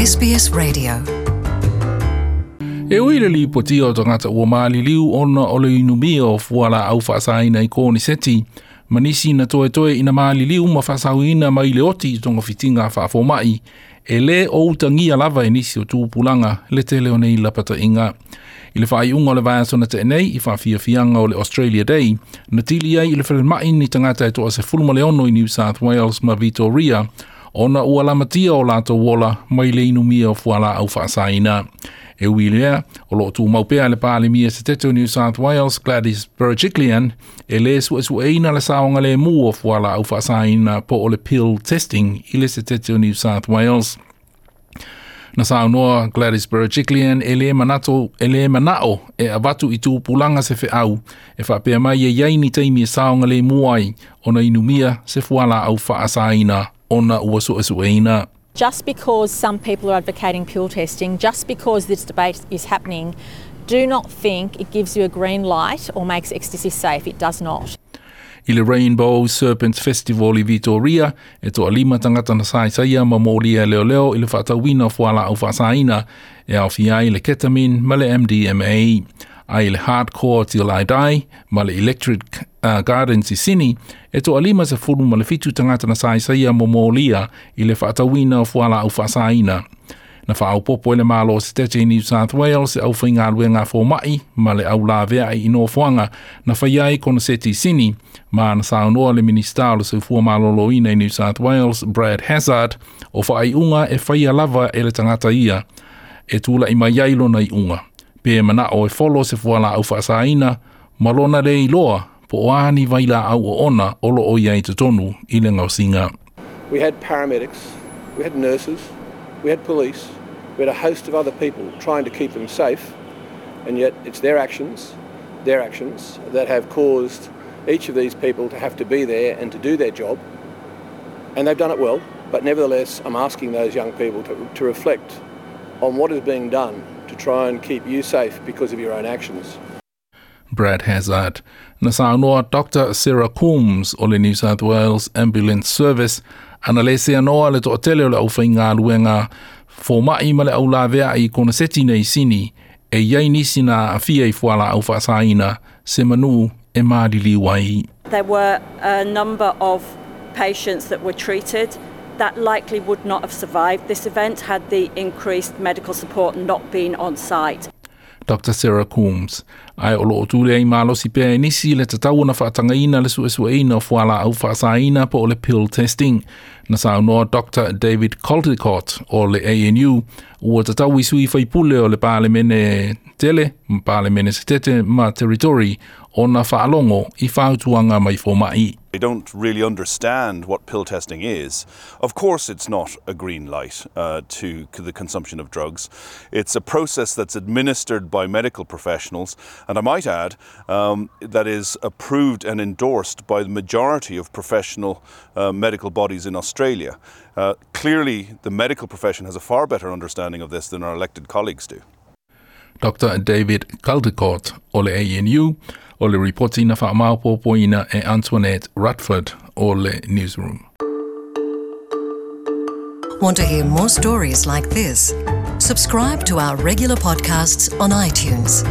SBS Radio. E ui le lipotia o tagata ua maliliu ona o le inumia o fualaau faasaina i Koneseti, ma nisi na toetoe ina maliliu ma faasauina mai le oti i togafitiga faafomaʻi, e lē o utagia lava e nisi o tupulaga le tele o nei lapataʻiga. I le faaiuga o le vaiaso na teʻe nei i faafiafiaga o le Australia Day, na tili ai i le falemaʻi ni tagata e 16 i New South Wales ma Victoria, ona ua lamatia o latou ola mai le inumia o fualaau faasaina. E ui lea, o loo tumau pea le Palemia Setete o New South Wales, Gladys Berejiklian, e lē suʻesuʻeina le saogalēmū o fualaau faasaina po o le pill testing i le Setete o New South Wales. Na saunoa Gladys Berejiklian e lē manato e lē manaʻo e avatu i tupulaga se feʻau e faapea mai e iai ni taimi e saogalēmū ai ona inumia se fualaau faasaina ona ua suʻesuʻeina. Just because some people are advocating pill testing, just because this debate is happening, do not think it gives you a green light or makes ecstasy safe. It does not. I le Rainbow Serpents Festival i Victoria, e 5 tagata na saisaia ma molia leoleo i le faatauina o fualaau faasaina e aofia ai le ketamine ma le MDMA. Ai le Hardcore Till I Die ma le Electric Gardens i Sydney, e 57 tagata na saisaia ma molia i le faatauina o fualaau faasaina. Na faaopopo e le Malo Setete i New South Wales e aufaigaluega fomaʻi ma le aulaveaʻi i nofoaga na faia ai koneseti i Sydney, ma na saunoa le Minista o le Soifua Malōlōina i New South Wales, Brad Hazzard, o faaiuga e faia lava e le tagata ia e tulaʻi mai ai lona iʻuga. Pe manaʻo e folo se fualaau faasaina ma lona lē iloa po o a ni vailaau oona o loo iai totonu i le gaosiga. We had paramedics, we had nurses, we had police, we had a host of other people trying to keep them safe, and yet it's their actions that have caused each of these people to have to be there and to do their job. And they've done it well, but nevertheless, I'm asking those young people to reflect on what is being done to try and keep you safe because of your own actions. Brad Hazzard. Na saunoa Dr. Sarah Coombs o le New South Wales Ambulance Service ana lē seanoa le toʻatele o le aufaigaluega fomaʻi ma le aulaveaʻi i koneseti nei Sini e iai nisi na aafia i fualaau faasaina se manū e maliliu ai. There were a number of patients that were treated that likely would not have survived this event had the increased medical support not been on site. Dr. Sarah Coombs. Ae o loo tule ai malosi pea e nisi le tatau ona faatagaina le suʻesuʻeina o fualaau faasaina po o le pill testing. Na saunoa Dr. David Caldicott o le ANU ua tatau i sui faipule o le Palemene tele, ma Palemene Setete ma Territory ona faalogo i fautuaga mai fomaʻi. They don't really understand what pill testing is. Of course, it's not a green light to the consumption of drugs. It's a process that's administered by medical professionals, and I might add, that is approved and endorsed by the majority of professional medical bodies in Australia. Clearly, the medical profession has a far better understanding of this than our elected colleagues do. Dr. David Caldicott o le ANU o le ripoti na faamaopoopoina e Antoinette Rutford o le Newsroom. Want to hear more stories like this? Subscribe to our regular podcasts on iTunes.